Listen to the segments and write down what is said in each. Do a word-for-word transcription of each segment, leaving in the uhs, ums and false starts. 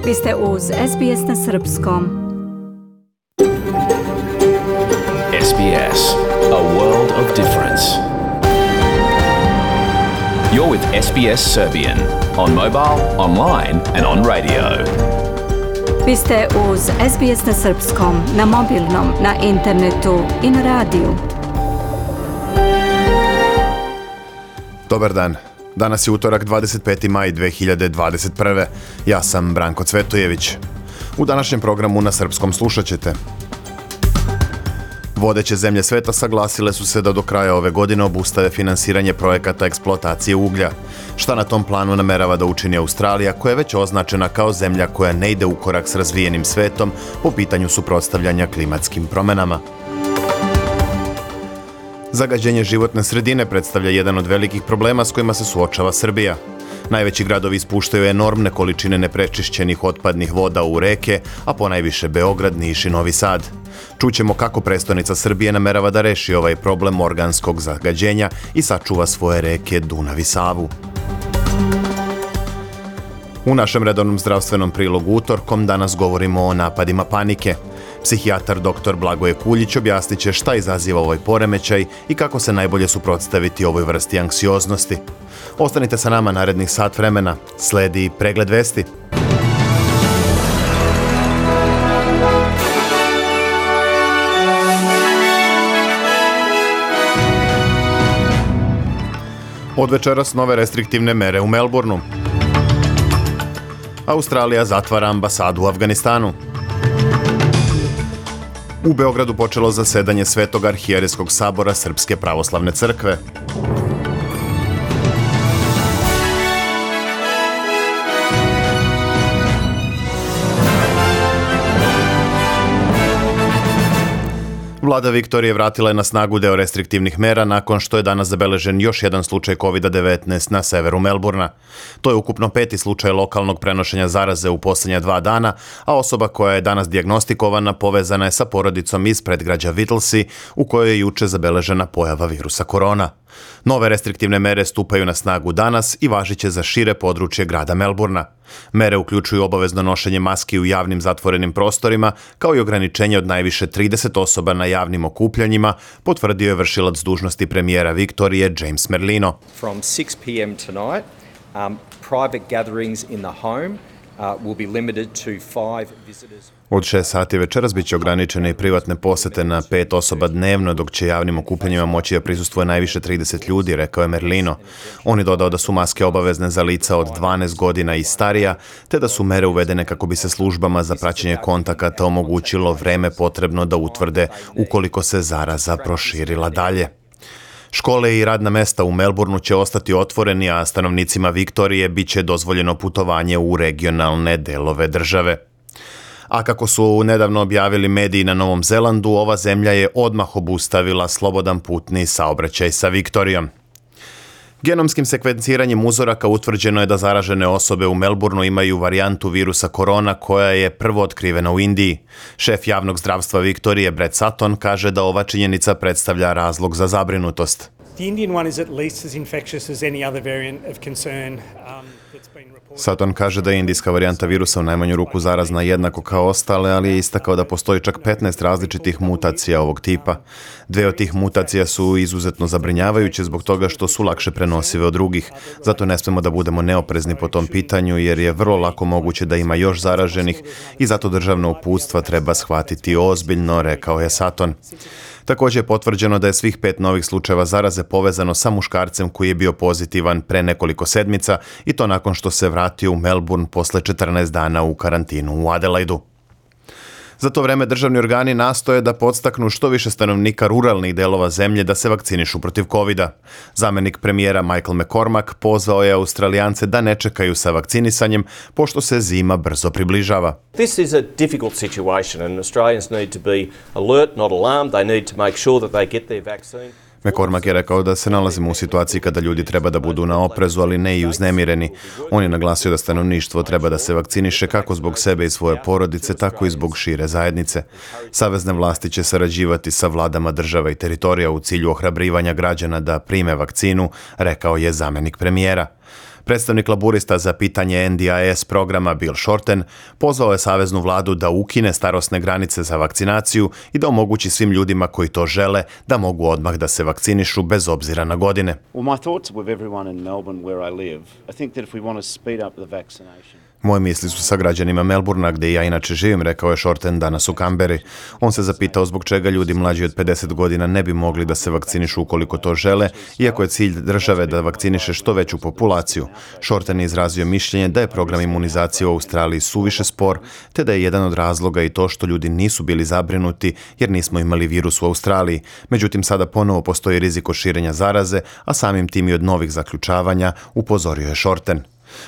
Vi ste uz S B S na srpskom. S B S, a world of difference. You're with S B S Serbian on mobile, online and on radio. Vi ste uz S B S na srpskom, na mobilnom, na internetu i na radiju. Dobar dan. Danas je utorak dvadeset peti maj dve hiljade dvadeset prve. Ja sam Branko Cvetojević. U današnjem programu na srpskom slušat ćete. Vodeće zemlje sveta saglasile su se da do kraja ove godine obustave finansiranje projekata eksploatacije uglja. Šta na tom planu namerava da učini Australija, koja je već označena kao zemlja koja ne ide u korak s razvijenim svetom po pitanju suprotstavljanja klimatskim promenama. Zagađenje životne sredine predstavlja jedan od velikih problema s kojima se suočava Srbija. Najveći gradovi ispuštaju enormne količine neprečišćenih otpadnih voda u reke, a ponajviše Beograd, Niš i Novi Sad. Čućemo kako prestonica Srbije namerava da reši ovaj problem organskog zagađenja i sačuva svoje reke Dunav i Savu. U našem redovnom zdravstvenom prilogu utorkom danas govorimo o napadima panike. Psihijatar doktor Blagoje Kuljić objasnit će šta izaziva ovaj poremećaj i kako se najbolje suprotstaviti ovoj vrsti anksioznosti. Ostanite sa nama narednih sat vremena. Sledi pregled vesti. Od večeras nove restriktivne mere u Melbourneu. Australija zatvara ambasadu u Afganistanu. U Beogradu počelo zasedanje Svetog arhijerejskog sabora Srpske pravoslavne crkve. Vlada Viktorije vratila je na snagu deo restriktivnih mera nakon što je danas zabeležen još jedan slučaj kovid devetnaest na severu Melbourna. To je ukupno peti slučaj lokalnog prenošenja zaraze u posljednja dva dana, a osoba koja je danas dijagnostikovana povezana je sa porodicom iz predgrađa Whittlesea u kojoj je juče zabeležena pojava virusa korona. Nove restriktivne mere stupaju na snagu danas i važiće za šire područje grada Melbourna. Mere uključuju obavezno nošenje maski u javnim zatvorenim prostorima, kao i ograničenje od najviše trideset osoba na javnim okupljanjima, potvrdio je vršilac dužnosti premijera Viktorije James Merlino. From six p m tonight, um, private gatherings in the home uh, will be limited to five visitors. Od šest sati večeras biće ograničene i privatne posete na pet osoba dnevno, dok će javnim okupljanjima moći da prisustvuje najviše trideset ljudi, rekao je Merlino. On je dodao da su maske obavezne za lica od dvanaest godina i starija, te da su mere uvedene kako bi se službama za praćenje kontakata omogućilo vreme potrebno da utvrde ukoliko se zaraza proširila dalje. Škole i radna mesta u Melbourneu će ostati otvoreni, a stanovnicima Viktorije biće dozvoljeno putovanje u regionalne delove države. A kako su nedavno objavili mediji na Novom Zelandu, ova zemlja je odmah obustavila slobodan putni saobraćaj sa Viktorijom. Genomskim sekvenciranjem uzoraka utvrđeno je da zaražene osobe u Melbourneu imaju varijantu virusa korona koja je prvo otkrivena u Indiji. Šef javnog zdravstva Viktorije Brett Sutton kaže da ova činjenica predstavlja razlog za zabrinutost. The Indian one is at least as infectious as any other variant of concern um, that's been reported. Sutton kaže da je indijska varijanta virusa u najmanju ruku zarazna jednako kao ostale, ali je istakao da postoji čak petnaest različitih mutacija ovog tipa. Dve od tih mutacija su izuzetno zabrinjavajuće zbog toga što su lakše prenosive od drugih. Zato ne smemo da budemo neoprezni po tom pitanju jer je vrlo lako moguće da ima još zaraženih i zato državna uputstva treba shvatiti ozbiljno, rekao je Sutton. Također je potvrđeno da je svih pet novih slučajeva zaraze povezano sa muškarcem koji je bio pozitivan pre nekoliko sedmica i to nakon što se vratio u Melbourne posle četrnaest dana u karantinu u Adelaidu. Za to vreme državni organi nastoje da podstaknu što više stanovnika ruralnih delova zemlje da se vakcinišu protiv kovida. Zamenik premijera Michael McCormack pozvao je Australijance da ne čekaju sa vakcinisanjem, pošto se zima brzo približava. This is a difficult situation and Australians need to be alert, not alarmed. They need to make sure that they get their vaccine. McCormack je rekao da se nalazimo u situaciji kada ljudi treba da budu na oprezu, ali ne i uznemireni. On je naglasio da stanovništvo treba da se vakciniše kako zbog sebe i svoje porodice, tako i zbog šire zajednice. Savezne vlasti će sarađivati sa vladama država i teritorija u cilju ohrabrivanja građana da prime vakcinu, rekao je zamenik premijera. Predstavnik laburista za pitanje N D I S programa Bill Shorten pozvao je saveznu vladu da ukine starosne granice za vakcinaciju i da omogući svim ljudima koji to žele da mogu odmah da se vakcinišu bez obzira na godine. Well, my thoughts are with everyone in Melbourne where I live. I think that if we want to speed up the vaccination. Moje misli su sa građanima Melburna, gdje ja inače živim, rekao je Shorten danas u Kamberi. On se zapitao zbog čega ljudi mlađi od pedeset godina ne bi mogli da se vakcinišu ukoliko to žele, iako je cilj države da vakciniše što veću populaciju. Shorten je izrazio mišljenje da je program imunizacije u Australiji suviše spor, te da je jedan od razloga i to što ljudi nisu bili zabrinuti jer nismo imali virus u Australiji. Međutim, sada ponovo postoji rizik od širenja zaraze, a samim tim i od novih zaključavanja, upozorio je Shorten.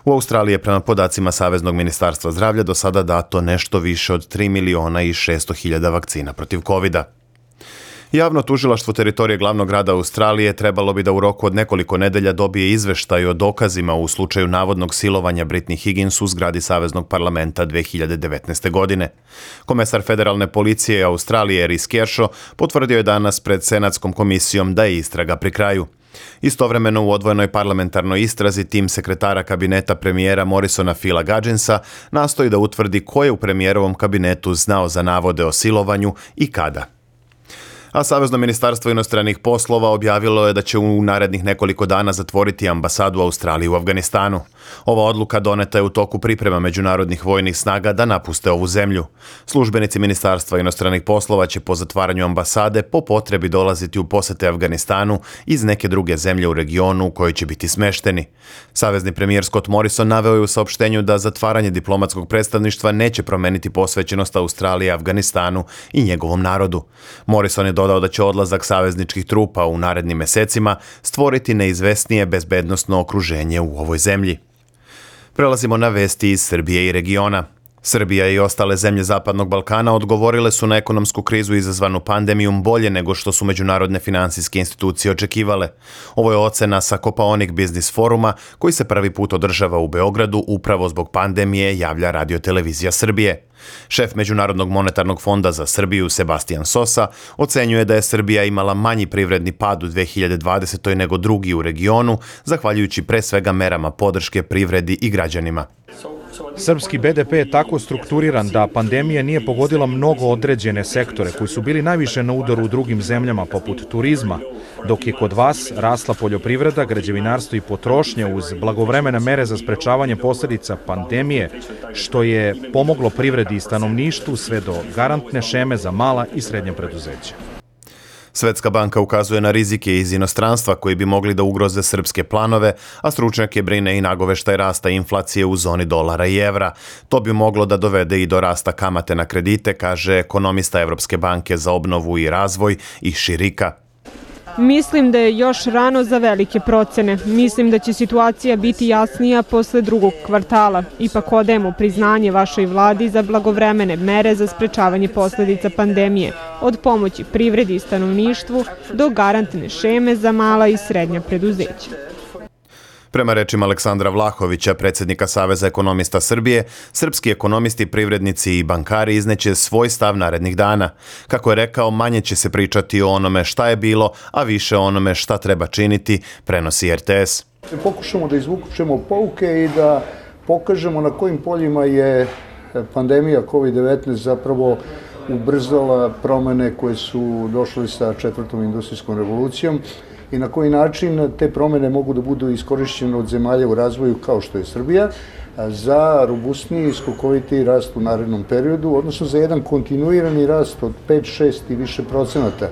U Australiji je prema podacima Saveznog ministarstva zdravlja do sada dato nešto više od tri miliona i šesto hiljada vakcina protiv kovida. Javno tužilaštvo teritorije glavnog grada Australije trebalo bi da u roku od nekoliko nedelja dobije izveštaj o dokazima u slučaju navodnog silovanja Britney Higgins u zgradi Saveznog parlamenta dve hiljade devetnaeste. godine. Komesar federalne policije Australije Rhys Kershaw potvrdio je danas pred Senatskom komisijom da je istraga pri kraju. Istovremeno u odvojenoj parlamentarnoj istrazi tim sekretara kabineta premijera Morrisona Phila Gudgensa nastoji da utvrdi ko je u premijerovom kabinetu znao za navode o silovanju i kada. A Savezno ministarstvo inostranih poslova objavilo je da će u narednih nekoliko dana zatvoriti ambasadu Australije u Afganistanu. Ova odluka doneta je u toku priprema međunarodnih vojnih snaga da napuste ovu zemlju. Službenici Ministarstva inostranih poslova će po zatvaranju ambasade po potrebi dolaziti u posete Afganistanu iz neke druge zemlje u regionu u kojoj će biti smešteni. Savezni premijer Scott Morrison naveo je u saopštenju da zatvaranje diplomatskog predstavništva neće promeniti posvećenost Australije Afganistanu i njegovom narodu. Morrison je dodao da će odlazak savezničkih trupa u narednim mesecima stvoriti neizvesnije bezbednosno okruženje u ovoj zemlji. Prelazimo na vesti iz Srbije i regiona. Srbija i ostale zemlje Zapadnog Balkana odgovorile su na ekonomsku krizu izazvanu pandemijom bolje nego što su međunarodne finansijske institucije očekivale. Ovo je ocena sa Kopaonik Biznis foruma koji se prvi put održava u Beogradu upravo zbog pandemije, javlja Radio televizija Srbije. Šef Međunarodnog monetarnog fonda za Srbiju Sebastian Sosa ocenjuje da je Srbija imala manji privredni pad u dve hiljade dvadesetoj. nego drugi u regionu, zahvaljujući pre svega merama podrške privredi i građanima. Srpski be de pe je tako strukturiran da pandemija nije pogodila mnogo određene sektore koji su bili najviše na udaru u drugim zemljama poput turizma, dok je kod vas rasla poljoprivreda, građevinarstvo i potrošnja uz blagovremene mere za sprečavanje posljedica pandemije, što je pomoglo privredi i stanovništvu sve do garantne šeme za mala i srednja preduzeća. Svetska banka ukazuje na rizike iz inostranstva koji bi mogli da ugroze srpske planove, a stručnjake brine i nagoveštaj rasta inflacije u zoni dolara i evra. To bi moglo da dovede i do rasta kamate na kredite, kaže ekonomista Evropske banke za obnovu i razvoj Ishi Rika. Mislim da je još rano za velike procene. Mislim da će situacija biti jasnija posle drugog kvartala. Ipak odajemo priznanje vašoj vladi za blagovremene mere za sprečavanje posljedica pandemije, od pomoći privredi i stanovništvu do garantne šeme za mala i srednja preduzeća. Prema rečima Aleksandra Vlahovića, predsjednika Saveza ekonomista Srbije, srpski ekonomisti, privrednici i bankari izneće svoj stav narednih dana. Kako je rekao, manje će se pričati o onome šta je bilo, a više o onome šta treba činiti, prenosi er te es. Pokušamo da izvučemo pouke i da pokažemo na kojim poljima je pandemija kovid devetnaest zapravo ubrzala promene koje su došle sa četvrtom industrijskom revolucijom i na koji način te promene mogu da budu iskorišćene od zemalja u razvoju kao što je Srbija za robustniji i skokovitiji rast u narednom periodu, odnosno za jedan kontinuirani rast od pet, šest i više procenata.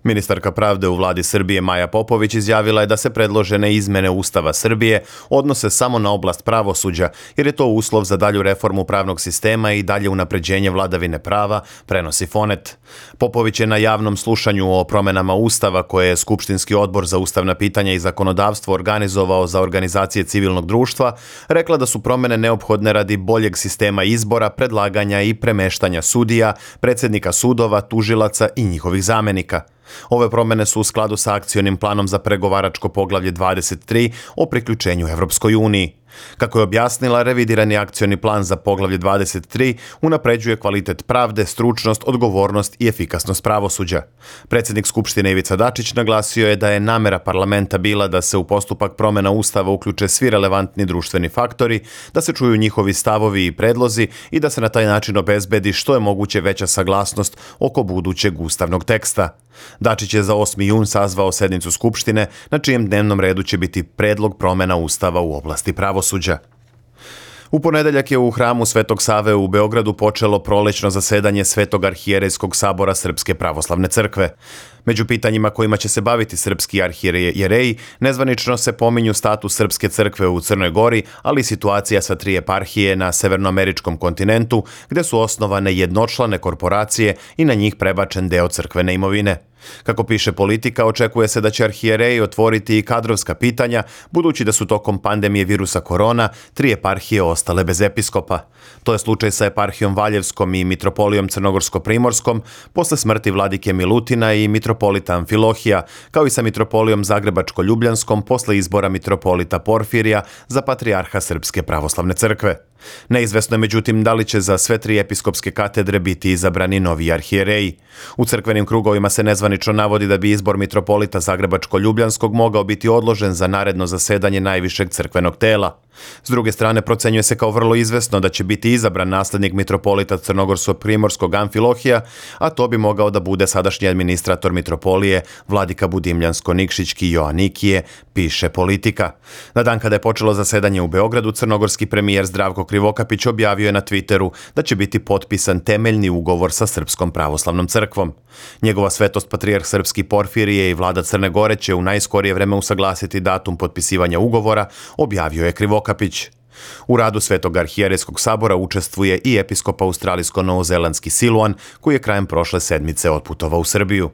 Ministarka pravde u vladi Srbije Maja Popović izjavila je da se predložene izmene Ustava Srbije odnose samo na oblast pravosuđa, jer je to uslov za dalju reformu pravnog sistema i dalje unapređenje vladavine prava, prenosi Fonet. Popović je na javnom slušanju o promenama Ustava koje je Skupštinski odbor za ustavna pitanja i zakonodavstvo organizovao za organizacije civilnog društva, rekla da su promene neophodne radi boljeg sistema izbora, predlaganja i premeštanja sudija, predsjednika sudova, tužilaca i njihovih zamenika. Ove promene su u skladu sa akcionim planom za pregovaračko poglavlje dvadeset tri o priključenju Evropskoj uniji. Kako je objasnila, revidirani akcioni plan za poglavlje dvadeset tri unapređuje kvalitet pravde, stručnost, odgovornost i efikasnost pravosuđa. Predsjednik Skupštine Ivica Dačić naglasio je da je namera parlamenta bila da se u postupak promjena Ustava uključe svi relevantni društveni faktori, da se čuju njihovi stavovi i predlozi i da se na taj način obezbedi što je moguće veća saglasnost oko budućeg ustavnog teksta. Dačić je za osmi jun sazvao sednicu Skupštine, na čijem dnevnom redu će biti predlog promjena Ustava u oblasti pravosuđa. U ponedeljak je u hramu Svetog Save u Beogradu počelo prolećno zasedanje Svetog arhijerejskog sabora Srpske pravoslavne crkve. Među pitanjima kojima će se baviti srpski arhijereji, nezvanično se pominju status Srpske crkve u Crnoj Gori, ali i situacija sa tri eparhije na severnoameričkom kontinentu, gde su osnovane jednočlane korporacije i na njih prebačen deo crkvene imovine. Kako piše Politika, očekuje se da će arhijereji otvoriti i kadrovska pitanja, budući da su tokom pandemije virusa korona tri eparhije ostale bez episkopa. To je slučaj sa eparhijom Valjevskom i mitropolijom Crnogorsko-primorskom posle smrti vladike Milutina i mitropolita Amfilohija, kao i sa mitropolijom Zagrebačko-ljubljanskom posle izbora mitropolita Porfirija za patrijarha Srpske pravoslavne crkve. Neizvesno je međutim da li će za sve tri episkopske katedre biti izabrani novi arhijereji. U crkvenim krugovima se nezvanično navodi da bi izbor mitropolita Zagrebačko-ljubljanskog mogao biti odložen za naredno zasedanje najvišeg crkvenog tela. S druge strane, procenjuje se kao vrlo izvesno da će biti izabran naslednik mitropolita Crnogorsko-primorskog Amfilohija, a to bi mogao da bude sadašnji administrator mitropolije vladika Budimljansko-Nikšićki Joanikije, piše Politika. Na dan kada je počelo zasedanje u Beogradu, crnogorski premijer Zdravko Krivokapić objavio je na Twitteru da će biti potpisan temeljni ugovor sa Srpskom pravoslavnom crkvom. Njegova svetost patrijarh Srpski Porfirije i vlada Crne Gore će u najskorije vreme usaglasiti datum potpisivanja ugovora, objavio je Krivokapić. U radu Svetog arhijerejskog sabora učestvuje i episkop australijsko-novozelandski Siluan, koji je krajem prošle sedmice otputovao u Srbiju.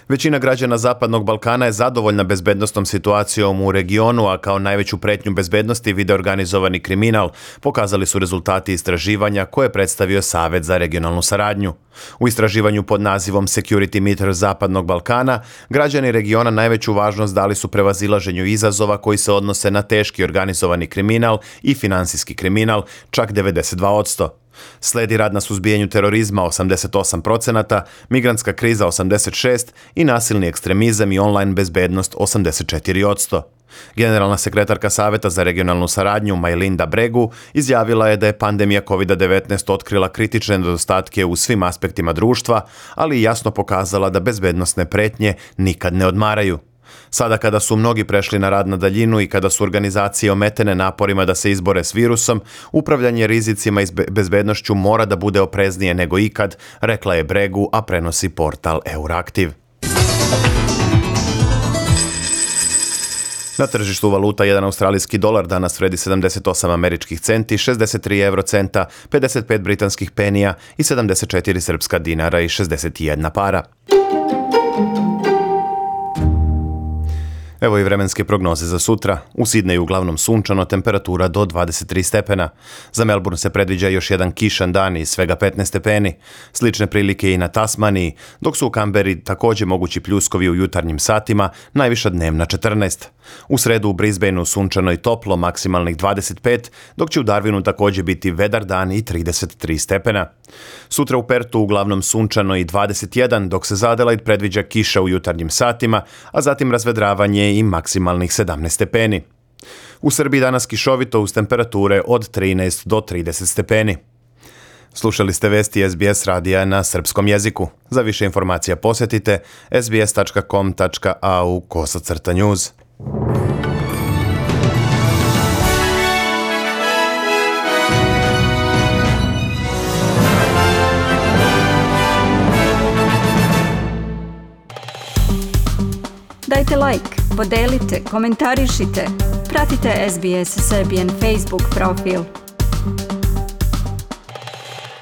Većina građana Zapadnog Balkana je zadovoljna bezbednosnom situacijom u regionu, a kao najveću pretnju bezbednosti vide organizovani kriminal, pokazali su rezultati istraživanja koje je predstavio Savet za regionalnu saradnju. U istraživanju pod nazivom Security Meter Zapadnog Balkana, građani regiona najveću važnost dali su prevazilaženju izazova koji se odnose na teški organizovani kriminal i finansijski kriminal, čak devedeset dva posto. Sledi rad na suzbijanju terorizma osamdeset osam posto, migrantska kriza osamdeset šest posto i nasilni ekstremizam i online bezbednost osamdeset četiri posto. Generalna sekretarka Saveta za regionalnu saradnju Majlinda Bregu izjavila je da je pandemija kovid devetnaest otkrila kritične nedostatke u svim aspektima društva, ali i jasno pokazala da bezbednosne pretnje nikad ne odmaraju. Sada kada su mnogi prešli na rad na daljinu i kada su organizacije ometene naporima da se izbore s virusom, upravljanje rizicima i bezbednošću mora da bude opreznije nego ikad, rekla je Bregu, a prenosi portal Euraktiv. Na tržištu valuta jedan australijski dolar danas vredi sedamdeset osam američkih centi, šezdeset tri evrocenta, pedeset pet britanskih penija i sedamdeset četiri srpska dinara i šezdeset jedna para. Evo i vremenske prognoze za sutra. U Sidneju uglavnom sunčano, temperatura do dvadeset tri stepena. Za Melbourne se predviđa još jedan kišan dan i svega petnaest stepeni. Slične prilike i na Tasmaniji, dok su u Kamberi također mogući pljuskovi u jutarnjim satima, najviša dnevna četrnaest. U sredu u Brisbaneu sunčano i toplo, maksimalnih dvadeset pet, dok će u Darwinu također biti vedar dan i trideset tri stepena. Sutra u Pertu uglavnom sunčano i dvadeset jedan, dok se za Adelaide predviđa kiša u jutarnjim satima, a zatim razvedravanje i maksimalnih sedamnaest stepeni. U Srbiji danas kišovito uz temperature od trinaest do trideset stepeni. Slušali ste vesti S B S radija na srpskom jeziku. Za više informacija posjetite sbs tačka com tačka a u kosacrta news. Dajte like, podelite, komentarišite, pratite S B S Serbian Facebook profil.